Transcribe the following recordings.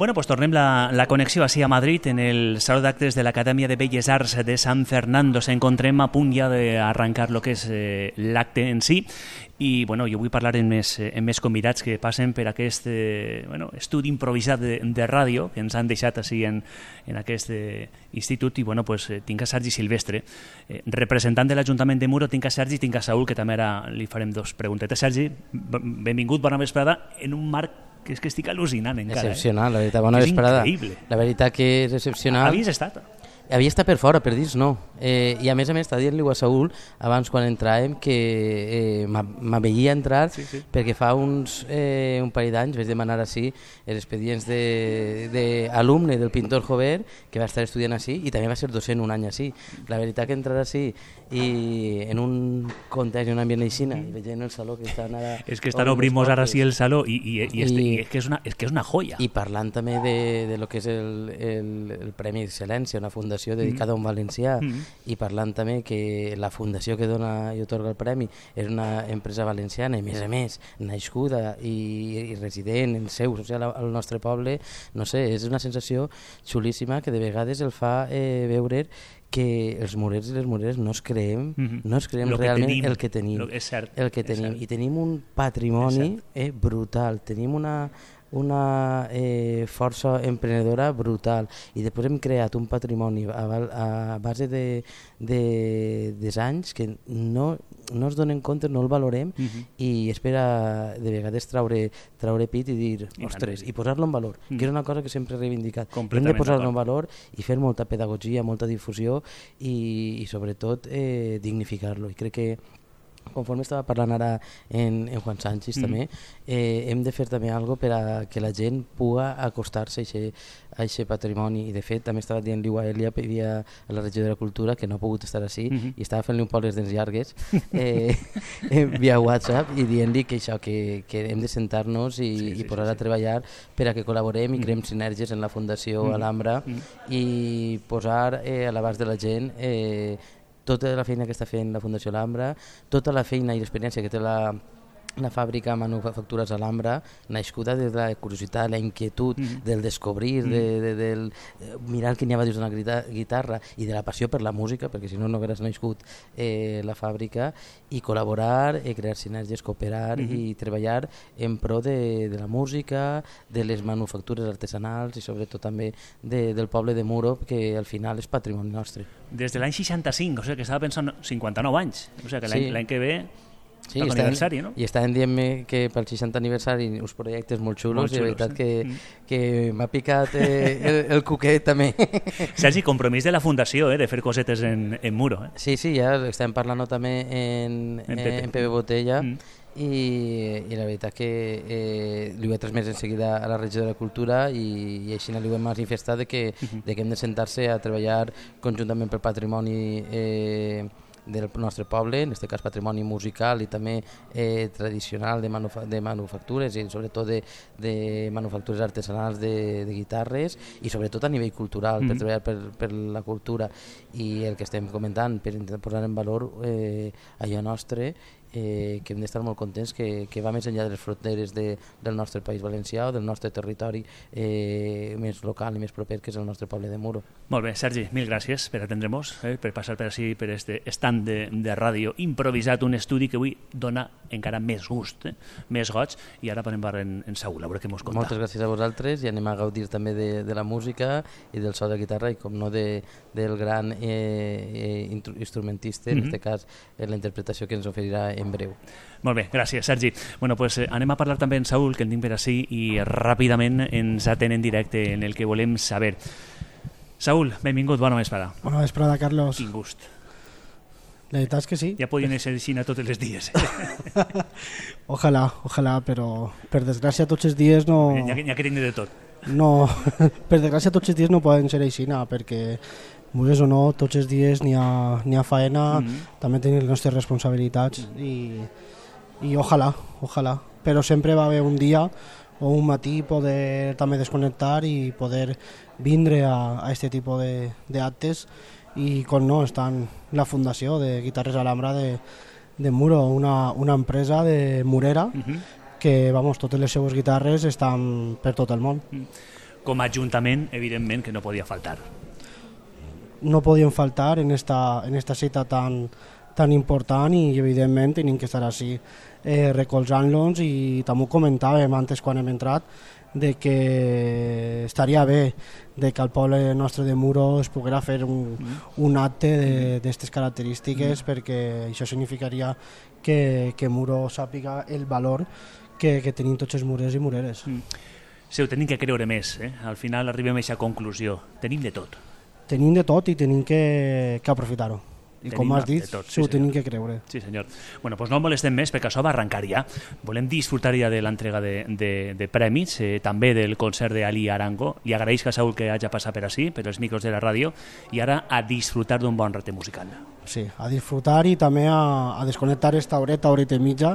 Bueno, pues tornem la connexió així a Madrid, en el Saló d'Actes de l'Acadèmia de Belles Arts de San Fernando. S'encontrem a punt ja d'arrencar el que és l'acte en si, i bueno, jo vull parlar amb més convidats que passen per aquest estudi improvisat de ràdio que ens han deixat així en aquest institut. I bueno, pues, tinc a Sergi Silvestre, representant de l'Ajuntament de Muro. Tinc a Sergi i tinc a Saúl, que també ara li farem dos preguntetes. Sergi, benvingut, bona vesprada, en un marc que és que estic al·lucinant encara. Excepcional, la veritat, bona vesprada. És increïble. La veritat que és excepcional. Havies estat? Havia estat per fora, per dins no. I a més està dient-li a Saúl abans quan entràvem que m'aveia entrar perquè fa un parell d'anys vaig demanar així els expedients d'alumne del pintor Jover, que va estar estudiant així i també va ser docent un any així. La veritat que entrar així i en un context, en un ambient aixina, i veient el saló que estan ara... És que estan obrint-nos ara sí el saló i és que és una joia. I parlant també de lo que és el Premi d'Excel·lència, una fundació dedicada a un valencià, i parlant també que la fundació que dona i otorga el premi és una empresa valenciana, i a més nascuda i resident en seu social al nostre poble, no sé, és una sensació xulíssima que de vegades el fa veure que els murers i les mureres no es creem realment el que tenim. És cert. I tenim un patrimoni brutal, tenim una força emprenedora brutal, i després hem creat un patrimoni a base dels anys que no es donen compte, no el valorem, i espera de vegades traure pit i dir, ostres, i posar-lo en valor, que és una cosa que sempre he reivindicat. Hem de posar-lo en valor i fer molta pedagogia, molta difusió i sobretot dignificar-lo. I crec que conforme estava parlant ara en Juan Sánchez també, hem de fer també alguna cosa per a que la gent pugui acostar-se a aquest patrimoni. I de fet també estava dient-li a Elia, vivia a la regió de la cultura, que no ha pogut estar així, i estava fent-li un poc les dents llargues via WhatsApp, i dient-li que això, que hem de sentar-nos i posar a treballar per a que col·laborem i creem sinergies en la Fundació Alhambra i posar a l'abast de la gent tota la feina que està fent la Fundació Alhambra, tota la feina i l'experiència que té la fàbrica Manufactures Alhambra, nascuda de la curiositat, la inquietud, del descobrir, del mirar què n'hi havia dins d'una guitarra i de la passió per la música, perquè si no hagués nascut la fàbrica, i col·laborar, crear sinergies, cooperar i treballar en pro de la música, de les manufactures artesanals i sobretot també del poble de Muro, que al final és patrimoni nostre. Des de l'any 65, o sigui que estava pensant 59 anys, o sigui que l'any que ve... Sí, i estaven dient-me que pel 60 aniversari uns projectes molt xulos, i la veritat que m'ha picat el cuquet també. Sergi, compromís de la Fundació, de fer cosetes en Muro. Sí, ja estem parlant també en Pepe Botella, i la veritat que li ho he transmès en seguida a la regió de la cultura, i així li ho hem manifestat que hem de sentar-se a treballar conjuntament pel patrimoni del nostre poble, en aquest cas patrimoni musical i també tradicional de manufactures, i sobretot de manufactures artesanals de guitarres, i sobretot a nivell cultural, per treballar per la cultura. I el que estem comentant, per intentar posar en valor allò nostre, que hem d'estar molt contents, que va més enllà de les fronteres del nostre país valencià o del nostre territori més local i més proper, que és el nostre poble de Muro. Molt bé, Sergi, mil gràcies per atendre-nos, per passar per així, per este estand de ràdio improvisat, un estudi que avui dona encara més gust, més goig, i ara podem parlar en Saúl, a veure què mos conta. Moltes gràcies a vosaltres, i anem a gaudir també de la música i del so de guitarra, i com no del gran instrumentista, en aquest cas la interpretació que ens oferirà en breu. Molt bé, gràcies, Sergi. Bueno, pues anem a parlar també amb Saúl, que el tinc per així, i ràpidament ens atén en directe en el que volem saber. Saúl, benvingut, bona vesprada. Bona vesprada, Carlos. Quin gust. La veritat és que sí. Ja podien ser així tots els dies. Ojalà, però per desgràcia tots els dies no... Ja que tinc de tot. No, per desgràcia tots els dies no poden ser així, perquè vulguis o no, tots els dies n'hi ha faena, també tenim les nostres responsabilitats, i ojalà, però sempre va haver un dia o un matí poder també desconnectar i poder vindre a aquest tipus d'actes, i com no, està la Fundació de Guitarres Alhambra de Muro, una empresa de Murera, que totes les seues guitarres estan per tot el món. Com a ajuntament, evidentment, que no podia faltar. No podien faltar en esta cita tan important i evidentment tenim que estar així recolzant-los, i també ho comentàvem antes quan hem entrat de que estaria bé de que al poble nostre de Muro es poguera fer un acte d'aquestes característiques, perquè això significaria que Muro sàpiga el valor que tenim tots els murers i mureres. Sí, ho tenim que creure més, al final arribem a aquesta conclusió, tenim de tot. Tenim de tot i tenim que aprofitar-ho. I com has dit, tot, sí, ho tenim que creure. Sí, senyor. Bueno, doncs no molestem més perquè això va arrencar ja. Volem disfrutar ja de l'entrega de premis, també del concert d'Ali Arango. Li agraeix a Saúl que hagi passat per així, per els micros de la ràdio, i ara a disfrutar d'un bon rate musical. Sí, a disfrutar i també a desconnectar esta horeta i mitja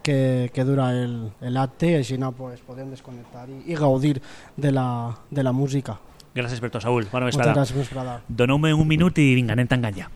que dura l'acte, i així pues, podem desconnectar i gaudir de la música. Gràcies per tot, Saúl. Bona vesprada. Moltes gràcies, vesprada. Doneu-me un minut i vinga, anem tancant ja.